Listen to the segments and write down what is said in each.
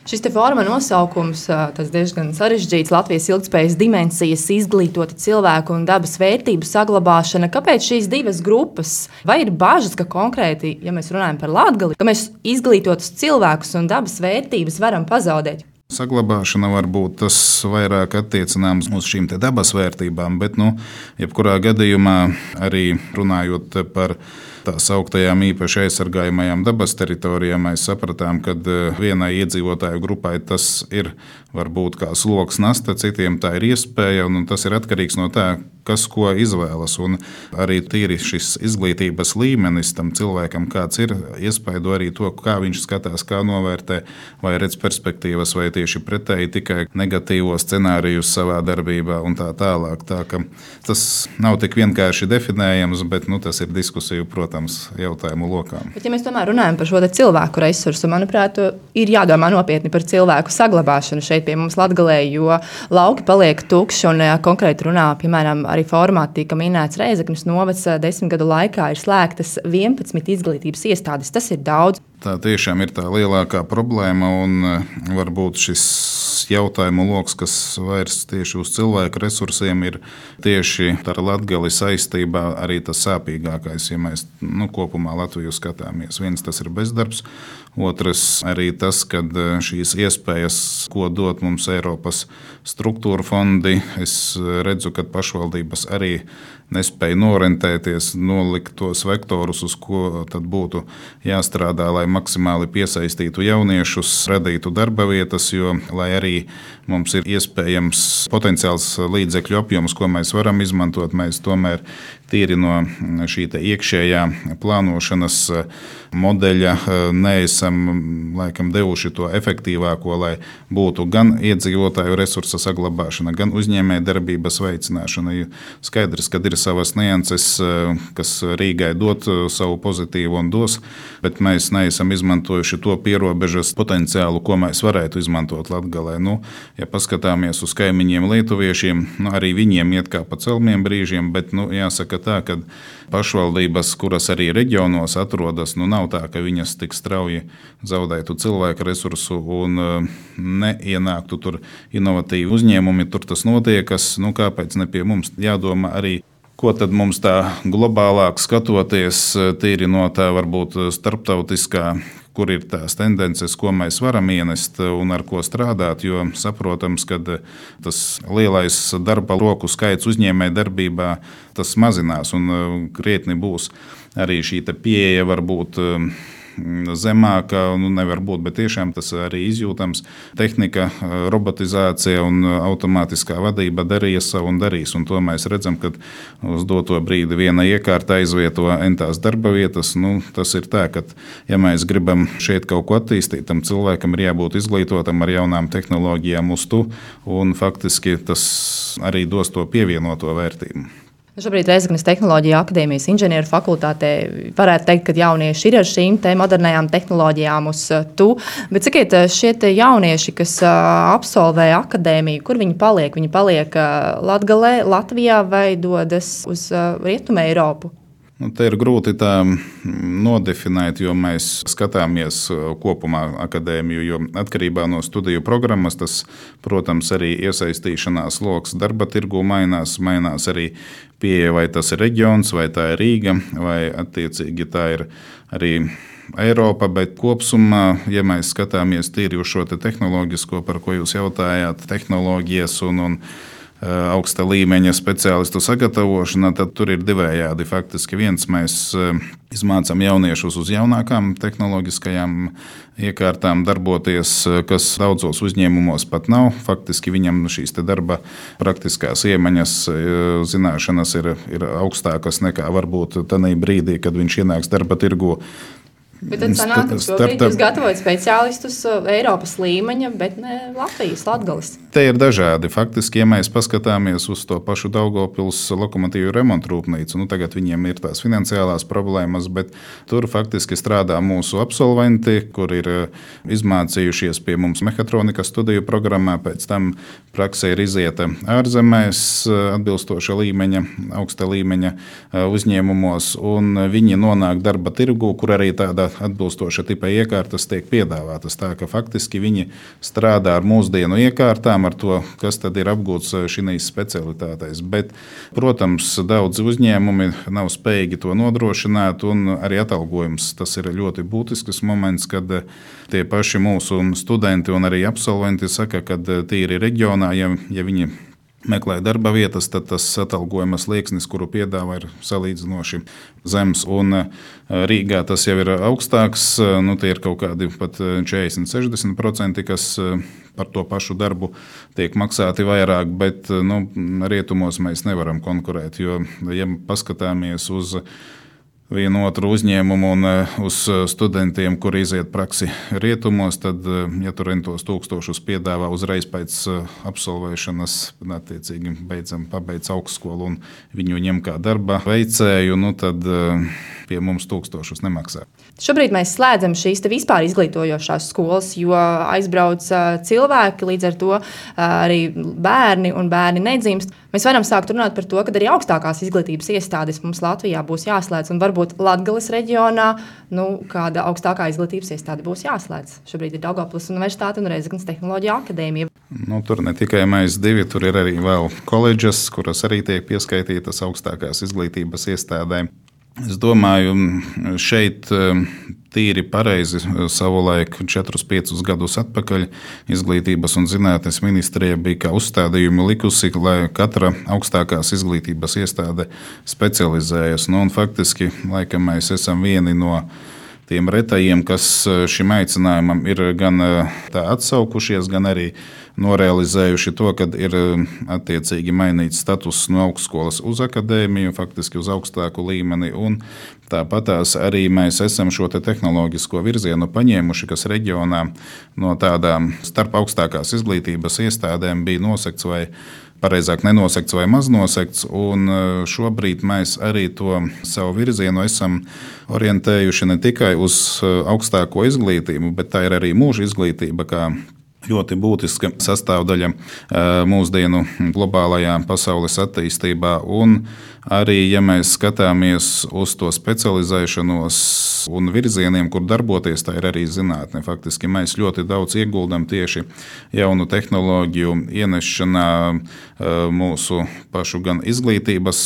Šis te forma nosaukums, tas diezgan sarežģīts, Latvijas ilgtspējas dimensijas, izglītoti cilvēku un dabas vērtību saglabāšana. Kāpēc šīs divas grupas? Vai ir bažas, ka konkrēti, ja mēs runājam par Latgali, ka mēs izglītotus cilvēkus un dabas vērtības varam pazaudēt? Saglabāšana var būt tas vairāk attiecināms uz šīm dabas vērtībām, bet, jebkurā gadījumā arī runājot par tā sauktajām īpaši aizsargājamajām dabas teritorijām, mēs sapratām, ka vienai iedzīvotāju grupai tas ir varbūt kā sloks nasta, citiem tā ir iespēja, un tas ir atkarīgs no tā, kas ko izvēlas. Un arī tīri šis izglītības līmenis tam cilvēkam, kāds ir, iespaido arī to, kā viņš skatās, kā novērtē, vai redz perspektīvas, vai tieši pretēji tikai negatīvos scenārijus savā darbībā un tā tālāk. Tā ka tas nav tik vienkārši definējams, bet tas ir diskusiju, protams, jautājumu lokām. Bet, ja mēs tomēr runājam par šo cilvēku resursu, manuprāt, ir jādomā nopietni par cilvēku saglabāšanu šeit pie mums Latgalē, jo lauki paliek tukši un konkrēti runā, piemēram, arī formā tika minēts Rēzeknes novads 10 gadu laikā ir slēgtas 11 izglītības iestādes. Tas ir daudz. Tā tiešām ir tā lielākā problēma, un varbūt šis jautājumu loks, kas vairs tieši uz cilvēku resursiem, ir tieši ar Latgali saistībā arī tas sāpīgākais, ja mēs kopumā Latviju skatāmies. Viens tas ir bezdarbs, otrs arī tas, ka šīs iespējas, ko dot mums Eiropas struktūra fondi, es redzu, ka pašvaldības arī nespēja norentēties, nolikt tos vektorus, uz ko tad būtu jāstrādā, lai maksimāli piesaistītu jauniešus, radītu darba vietas, jo, lai arī mums ir iespējams potenciāls līdzekļu apjoms, ko mēs varam izmantot, mēs tomēr tīri no šī iekšējā plānošanas modeļa neesam laikam devuši to efektīvāko, lai būtu gan iedzīvotāju resursa saglabāšana, gan uzņēmēja darbības veicināšana. Skaidrs, ka ir savas nianses, kas Rīgai dot savu pozitīvu un dos, bet mēs neesam izmantojuši to pierobežas potenciālu, ko mēs varētu izmantot Latgalē. Ja paskatāmies uz kaimiņiem lietuviešiem, arī viņiem iet kā pa celmiem brīžiem, bet jāsaka tā, ka pašvaldības, kuras arī reģionos atrodas, nav tā, ka viņas tik strauji zaudētu cilvēku resursu un neienāktu tur inovatīvi uzņēmumi, tur tas notiekas, kāpēc ne pie mums jādomā arī, ko tad mums tā globālāk skatoties, tīri no tā varbūt starptautiskā, kur ir tās tendences, ko mēs varam ienest un ar ko strādāt, jo saprotams, ka tas lielais darba roku skaits uzņēmēja darbībā, tas mazinās un krietni būs arī šī pieeja varbūt zemāka, nevar būt, bet tiešām tas arī izjūtams. Tehnika, robotizācija un automātiskā vadība darīja savu un darīs, un to mēs redzam, kad uz doto brīdi viena iekārta aizvieto entās darba vietas. Tas ir tā, ka ja mēs gribam šeit kaut ko attīstīt, tam cilvēkam ir jābūt izglītotam ar jaunām tehnoloģijām uz tu, un faktiski tas arī dos to pievienoto vērtību. Šobrīd Rēzeknes Tehnoloģija akadēmijas inženieru fakultātē varētu teikt, ka jaunieši ir ar šīm modernajām tehnoloģijām uz tu. Bet sakiet, šie jaunieši, kas absolvē akadēmiju, kur viņi paliek? Viņi paliek Latgalē, Latvijā vai dodas uz Rietumu Eiropu? Te ir grūti tā nodefinēt, jo mēs skatāmies kopumā akadēmiju, jo atkarībā no studiju programmas tas, protams, arī iesaistīšanās loks darba tirgu mainās arī pieeja, vai tas ir reģions, vai tā ir Rīga, vai attiecīgi tā ir arī Eiropa, bet kopsumā, ja mēs skatāmies tīri uz šo tehnoloģisko, par ko jūs jautājāt, tehnoloģijas un augsta līmeņa speciālistu sagatavošana, tad tur ir divējādi. Faktiski viens, mēs izmācām jauniešus uz jaunākām tehnoloģiskajām iekārtām darboties, kas daudzos uzņēmumos pat nav. Faktiski viņam šīs darba praktiskās iemaņas, zināšanas ir augstākas nekā varbūt tanī brīdī, kad viņš ienāks darba tirgu. Bet tad sanāk, ka šobrīd jūs gatavojat speciālistus Eiropas līmeņa, bet ne Latvijas, Latgales. Te ir dažādi. Faktiski, ja mēs paskatāmies uz to pašu Daugavpils lokomotīvu remontu rūpnīcu, tagad viņiem ir tās finansiālās problēmas, bet tur faktiski strādā mūsu absolventi, kur ir izmācījušies pie mums mehatronikas studiju programmā, pēc tam praksē ir izieta ārzemēs atbilstoša līmeņa, augsta līmeņa uzņēmumos, un viņi nonāk darba tirgu, kur arī tādā atbilstoša tipa iekārtas tiek piedāvātas. Tā ka faktiski viņi strādā ar mūsdienu iekārtām, ar to, kas tad ir apgūts šīs specialitātēs. Bet, protams, daudzi uzņēmumi nav spējīgi to nodrošināt, un arī atalgojums tas ir ļoti būtisks moments, kad tie paši mūsu studenti un arī absolventi saka, ka tīri reģionā, ja viņi meklē darba vietas, tad tas atalgojuma slieksnis, kuru piedāvā, ir salīdzinoši zems. Un Rīgā tas jau ir augstāks, tie ir kaut kādi pat 40–60%, kas par to pašu darbu tiek maksāti vairāk, bet rietumos mēs nevaram konkurēt, jo, ja paskatāmies uz vienu otru uzņēmumu un uz studentiem, kuri iziet praksi rietumos, tad, ja tur rentos 1000 piedāvā uzreiz pēc absolvēšanas, attiecīgi pabeidz augstskolu un viņu ņem kā darba veicēju, tad pie mums 1000 nemaksā. Šobrīd mēs slēdzam šīs vispār izglītojošās skolas, jo aizbrauc cilvēki, līdz ar to arī bērni un bērni nedzimst. Mēs varam sākt runāt par to, ka arī augstākās izglītības iestādes mums Latvijā būs jāslēdz, un varbūt Latgales reģionā kāda augstākā izglītības iestāde būs jāslēdz. Šobrīd ir Daugavpils Universitāte un Rēzeknes Tehnoloģija akadēmija. Tur ne tikai mēs divi, tur ir arī vēl koledžas, kuras arī tiek pieskaitītas augstākās izglītības iestādēm. Es domāju, šeit tīri pareizi savulaik 4–5 gadus atpakaļ Izglītības un zinātnes ministrija bija kā uzstādījumu likusi, lai katra augstākās izglītības iestāde specializējas. Un faktiski, laikam mēs esam vieni no tiem retajiem, kas šim aicinājumam ir gan tā atsaukušies, gan arī norealizējuši to, ka ir attiecīgi mainīts status no augstskolas uz akadēmiju, faktiski uz augstāku līmeni. Un tāpatās arī mēs esam šo tehnoloģisko virzienu paņēmuši, kas reģionā no tādām starp augstākās izglītības iestādēm bija nosekts vai pareizāk nenosekts vai maznosekts, un šobrīd mēs arī to savu virzienu esam orientējuši ne tikai uz augstāko izglītību, bet tā ir arī mūža izglītība, kā ļoti būtiska sastāvdaļa mūsdienu globālajā pasaules attīstībā. Un arī, ja mēs skatāmies uz to specializēšanos un virzieniem, kur darboties, tā ir arī zinātne. Faktiski mēs ļoti daudz ieguldam tieši jaunu tehnoloģiju ienešanā mūsu pašu gan izglītības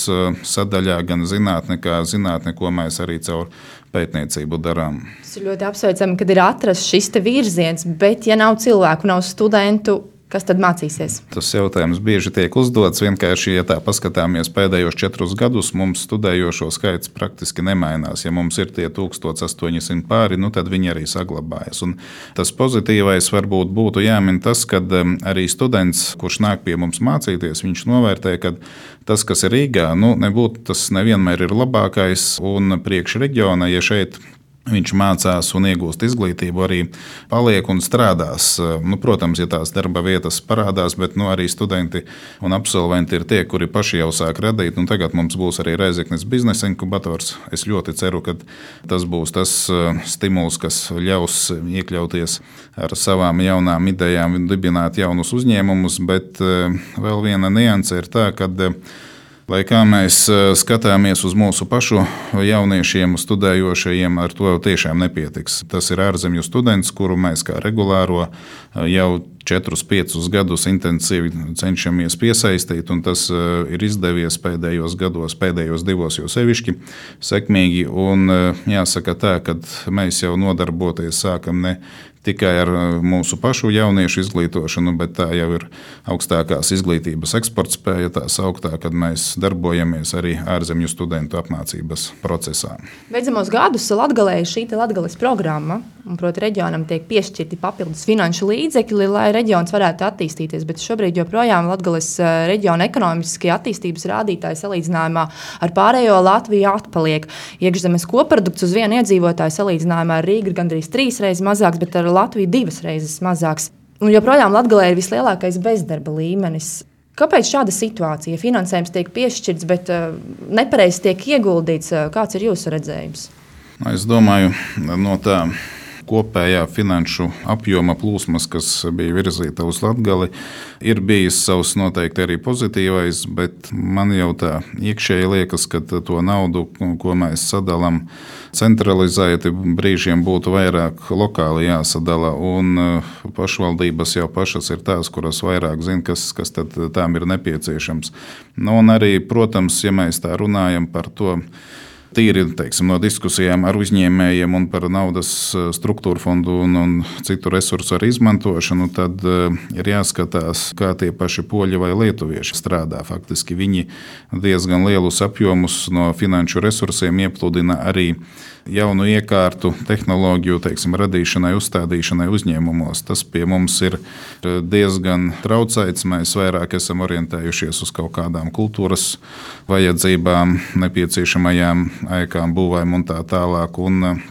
sadaļā, gan zinātne, kā zinātne, ko mēs arī caur pētniecību darām. Tas ir ļoti apsveicami, kad ir atrasts šis virziens, bet ja nav cilvēku, nav studentu, kas tad mācīsies? Tas jautājums bieži tiek uzdots. Vienkārši, ja tā paskatāmies pēdējos 4 gadus, mums studējošo skaits praktiski nemainās. Ja mums ir tie 1800 pāri, tad viņi arī saglabājas. Un tas pozitīvais varbūt būtu jāmin tas, ka arī students, kurš nāk pie mums mācīties, viņš novērtē, ka tas, kas ir Rīgā, nebūtu tas nevienmēr ir labākais, un priekš reģiona, ja šeit viņš mācās un iegūst izglītību, arī paliek un strādās. Protams, ja tās darba vietas parādās, bet arī studenti un absolventi ir tie, kuri paši jau sāk radīt. Tagad mums būs arī Rēzeknes biznesa inkubators. Es ļoti ceru, ka tas būs tas stimuls, kas ļaus iekļauties ar savām jaunām idejām, dibināt jaunus uzņēmumus, bet vēl viena nianse ir tā, ka lai kā mēs skatāmies uz mūsu pašu jauniešiem, studējošajiem, ar to tiešām nepietiks. Tas ir ārzemju students, kuru mēs kā regulāro jau 4–5 gadus intensīvi cenšamies piesaistīt, un tas ir izdevies pēdējos gados, pēdējos 2 jau sevišķi sekmīgi. Un jāsaka tā, ka mēs jau nodarboties sākam ne tikai ar mūsu pašu jauniešu izglītošanu, bet tā jau ir augstākās izglītības eksportspēja, tā sauktā, kad mēs darbojamies arī ārzemju studentu apmācības procesā. Beidzamos gadus Latgalē ir šī Latgales programma, un proti reģionam tiek piešķirti papildus finanšu līdzekļi, lai reģions varētu attīstīties, bet šobrīd joprojām Latgales reģiona ekonomiskie attīstības rādītāji salīdzinājumā ar pārējo Latviju atpaliek. Iekšzemes koprodukts uz vienu iedzīvotāju salīdzinājumā ar Rīgu ir gandrīz 3 reizes mazāks, bet ar Latviju 2 reizes mazāks. Un joprojām Latgalē ir vislielākais bezdarba līmenis. Kāpēc šāda situācija? Finansējums tiek piešķirts, bet nepareizi tiek ieguldīts. Kāds ir jūsu redzējums? Es domāju, no tā kopējā finanšu apjoma plūsmas, kas bija virzīta uz Latgali, ir bijis savs noteikti arī pozitīvais, bet man jau tā iekšēji liekas, ka to naudu, ko mēs sadalām centralizēti, brīžiem būtu vairāk lokāli jāsadala, un pašvaldības jau pašas ir tās, kuras vairāk zina, kas tad tām ir nepieciešams. Un arī, protams, ja mēs tā runājam par to, tīri no diskusijām ar uzņēmējiem un par naudas struktūra fondu un citu resursu arī izmantošanu, tad ir jāskatās, kā tie paši poļi vai lietuvieši strādā. Faktiski viņi diezgan lielus apjomus no finanšu resursiem iepludina arī jaunu iekārtu, tehnoloģiju radīšanai, uzstādīšanai uzņēmumos. Tas pie mums ir diezgan traucēts. Mēs vairāk esam orientējušies uz kaut kādām kultūras vajadzībām, nepieciešamajām ēkām, būvēm un tā tālāk. Un,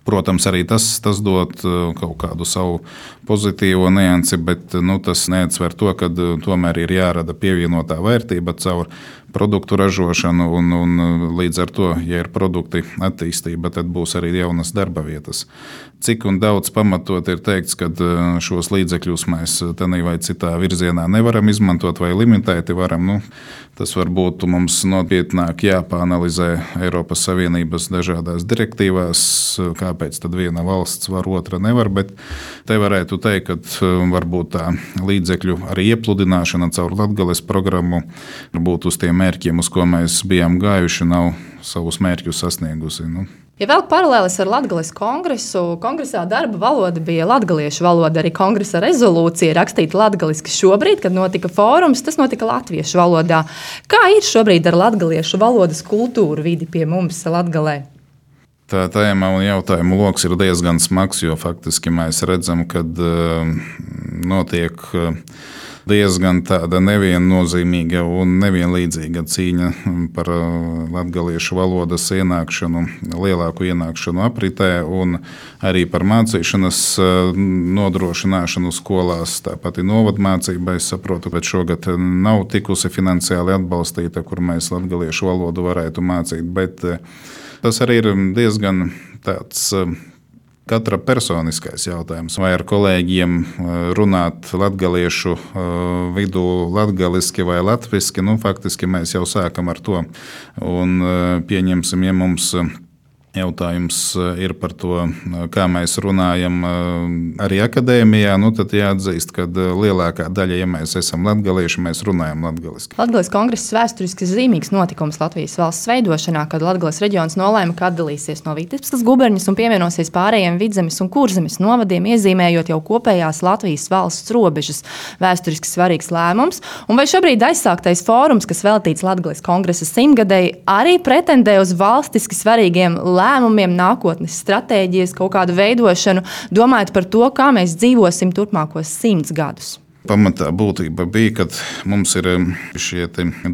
protams, arī tas dod kaut kādu savu pozitīvo niansi, bet tas neatsver to, ka tomēr ir jārada pievienotā vērtība caur produktu ražošanu, un līdz ar to, ja ir produkti attīstība, tad būs arī jaunas darba vietas. Cik un daudz pamatot ir teikts, ka šos līdzekļus mēs tādā vai citā virzienā nevaram izmantot vai limitēti varam. Tas varbūt mums nopietnāk jāpāanalizē Eiropas Savienības dažādās direktīvās, kāpēc tad viena valsts var, otra nevar, bet te varētu teikt, ka varbūt tā līdzekļu arī iepludināšana caur Latgales programmu būtu uz tiem mērķiem, uz ko mēs bijām gājuši, nav savus mērķus sasniegusi. Ja vēl paralēlis ar Latgales kongresu, kongresā darba valoda bija latgaliešu valoda, arī kongresa rezolūcija rakstīta latgaliski. Šobrīd, kad notika fórums, tas notika latviešu valodā. Kā ir šobrīd ar latgaliešu valodas kultūru vidi pie mums Latgalē? Tā tēma un jautājumu loks ir diezgan smags, jo faktiski mēs redzam, ka notiek diezgan tāda neviennozīmīga un nevienlīdzīga cīņa par latgaliešu valodas ienākšanu, lielāku ienākšanu apritē un arī par mācīšanas nodrošināšanu skolās. Tāpat ir novadmācība, es saprotu, ka šogad nav tikusi finansiāli atbalstīta, kur mēs latgaliešu valodu varētu mācīt, bet tas arī ir diezgan tāds katra personiskais jautājums. Vai ar kolēģiem runāt latgaliešu vidū latgaliski vai latviski, faktiski mēs jau sākam ar to. Un pieņemsim, ja mums jautājums ir par to, kā mēs runājam arī akadēmijā, tad jāatzīst, ka lielākā daļa, ja mēs esam latgalieši, mēs runājam latgaliski. Latgales kongress vēsturiski zīmīgs notikums Latvijas valsts veidošanā, kad Latgales reģions nolēma, ka atdalīsies no Vitebskas guberņas un pievienosies pārējiem Vidzemes un Kurzemes novadiem, iezīmējot jau kopējās Latvijas valsts robežas. Vēsturiski svarīgs lēmums. Un vai šobrīd aizsāktais fórums, kas veltīts Latgales kongresa 100-gadēji, arī pretendē uz valstiski svarīgiem lēmumiem, nākotnes stratēģijas, kaut kādu veidošanu, domājot par to, kā mēs dzīvosim turpmākos 100 gadus? Pamatā būtība bija, kad mums ir šie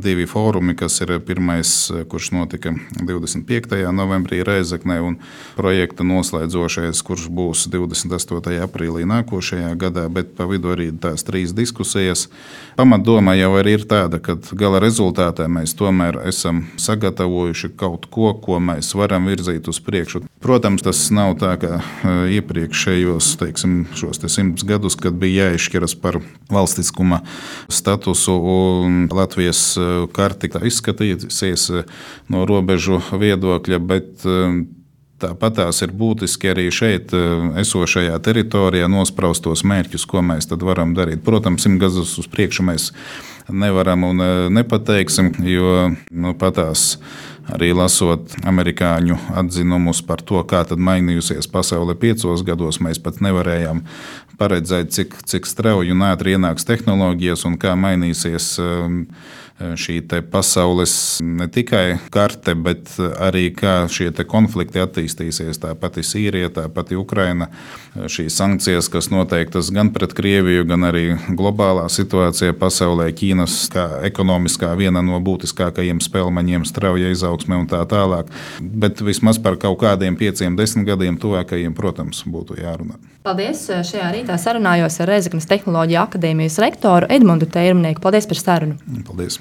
divi fórumi, kas ir pirmais, kurš notika 25. novembrī Rēzeknē, un projekta noslēdzošais, kurš būs 28. aprīlī nākošajā gadā, bet pa vidu arī tās 3 diskusijas. Pamatdoma jau arī ir tāda, ka gala rezultātā mēs tomēr esam sagatavojuši kaut ko, ko mēs varam virzīt uz priekšu. Protams, tas nav tā, kā iepriekšējos, šos 100 gadus, kad bija jāizšķiras par valstiskuma statusu, un Latvijas karti izskatīsies no robežu viedokļa, bet tāpat tās ir būtiski arī šeit esošajā teritorijā nospraustos mērķus, ko mēs tad varam darīt. Protams, 100 gadus uz priekšu mēs nevaram un nepateiksim, jo patās arī lasot amerikāņu atzinumus par to, kā tad mainījusies pasaule 5 gados, mēs pat nevarējām paredzēt, cik strauji un ātri ienāks tehnoloģijas un kā mainīsies šī pasaules ne tikai karte, bet arī kā šie konflikti attīstīsies. Tā pati Sīrija, tā pati Ukraina, šīs sankcijas, kas noteiktas gan pret Krieviju, gan arī globālā situācija pasaulē, Ķīnas kā ekonomiskā viena no būtiskākajiem spēlmaņiem, strauja izaugsme un tā tālāk. Bet vismaz par kaut kādiem 5-10 gadiem tuvākajiem, protams, būtu jārunā. Paldies! Šajā rītā sarunājos ar Rēzeknes Tehnoloģiju akadēmijas rektoru Edmundu Teirmnieku. Paldies par sarunu! Paldies!